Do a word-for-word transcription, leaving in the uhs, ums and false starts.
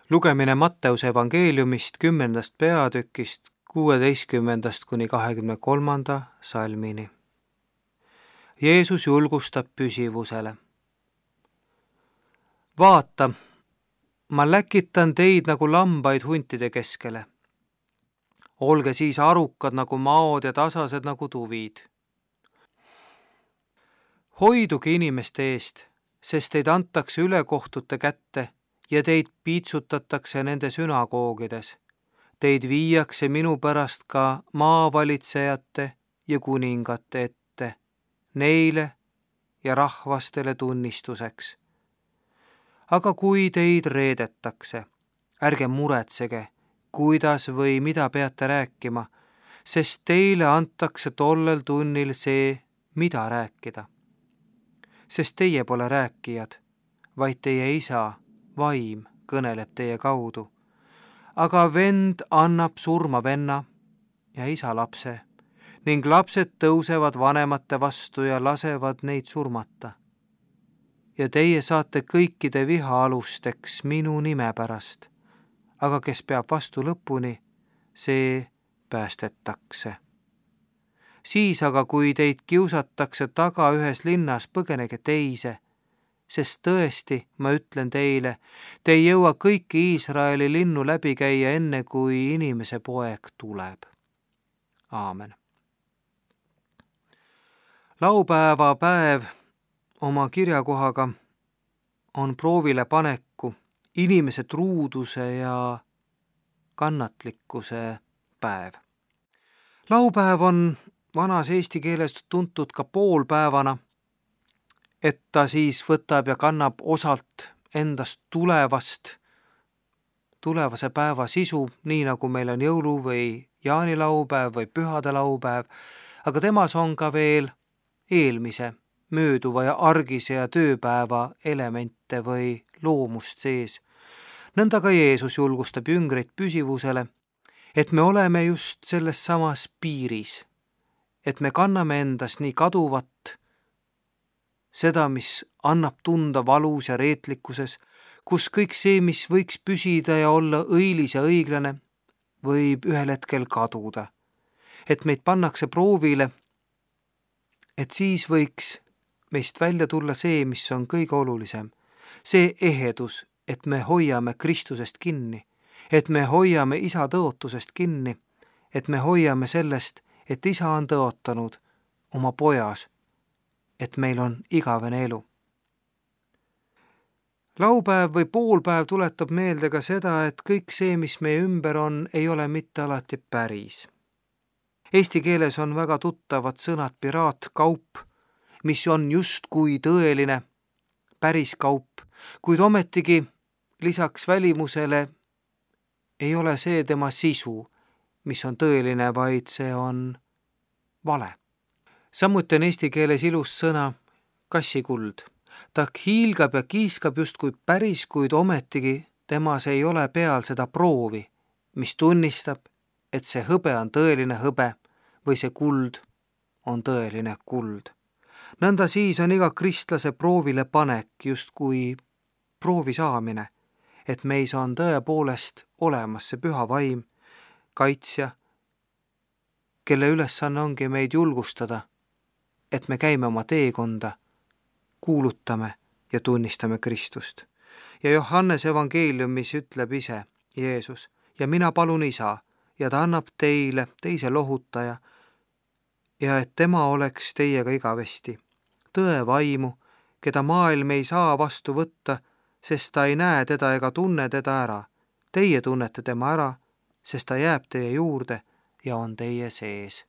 Lugemine Matteuse evangeeliumist kümnendast peatükist kuueteistkümnendast kuni kahekümne kolmanda salmini. Jeesus julgustab püsivusele. Vaata, ma läkitan teid nagu lambaid huntide keskele. Olge siis arukad nagu maod ja tasased nagu tuvid. Hoiduge inimeste eest, sest teid antakse ülekohtute kätte ja teid piitsutatakse nende sünagoogides. Teid viiakse minu pärast ka maavalitsejate ja kuningate ette, neile ja rahvastele tunnistuseks. Aga kui teid reedetakse, ärge muretsege, kuidas või mida peate rääkima, sest teile antakse tollel tunnil see, mida rääkida. Sest teie pole rääkijad, vaid teie isa, vaim, kõneleb teie kaudu. Aga vend annab surma venna ja isa lapse, ning lapsed tõusevad vanemate vastu ja lasevad neid surmata. Ja teie saate kõikide viha alusteks minu nime pärast, aga kes peab vastu lõpuni, see päästetakse. Siis aga, kui teid kiusatakse taga ühes linnas, põgenege teise, sest tõesti, ma ütlen teile, te ei jõua kõiki Iisraeli linnu läbi käia enne, kui inimese poeg tuleb. Aamen. Laupäeva päev oma kirjakohaga on proovile paneku inimese truuduse ja kannatlikkuse päev. Laupäev on vanas eesti keeles tuntud ka poolpäevana, et ta siis võtab ja kannab osalt endast tulevast, tulevase päeva sisu, nii nagu meil on jõulu- või jaanilaupäev või pühade laupäev, aga temas on ka veel eelmise, mööduva ja argise ja tööpäeva elemente või loomust sees. Nõnda ka Jeesus julgustab jüngreid püsivusele, et me oleme just selles samas piiris, et me kanname endas nii kaduvat, seda, mis annab tunda valus ja reetlikkuses, kus kõik see, mis võiks püsida ja olla õilis ja õiglane, võib ühel hetkel kaduda. Et meid pannakse proovile, et siis võiks meist välja tulla see, mis on kõige olulisem. See ehedus, et me hoiame Kristusest kinni, et me hoiame isa tõotusest kinni, et me hoiame sellest, et isa on tõotanud oma pojas, et meil on igavene elu. Laupäev või poolpäev tuletab meelde ka seda, et kõik see, mis meie ümber on, ei ole mitte alati päris. Eesti keeles on väga tuttavad sõnad piraatkaup, mis on justkui tõeline, päris kaup, kuid ometigi lisaks välimusele ei ole see tema sisu, mis on tõeline, vaid see on vale. Samuti on eesti keeles ilus sõna kassikuld. Ta hiilgab ja kiiskab justkui päris, kuid ometigi temas ei ole peal seda proovi, mis tunnistab, et see hõbe on tõeline hõbe või see kuld on tõeline kuld. Nõnda siis on iga kristlase proovile panek justkui proovi saamine, et meis on tõepoolest olemas see püha vaim, kaitsja, kelle ülesanne ongi meid julgustada, et me käime oma teekonda, kuulutame ja tunnistame Kristust. Ja Johannes evangeeliumis ütleb ise, Jeesus, ja mina palun isa, ja ta annab teile teise lohutaja, ja et tema oleks teiega igavesti. Tõe vaimu, keda maailm ei saa vastu võtta, sest ta ei näe teda ega tunne teda ära. Teie tunnete tema ära, sest ta jääb teie juurde ja on teie sees.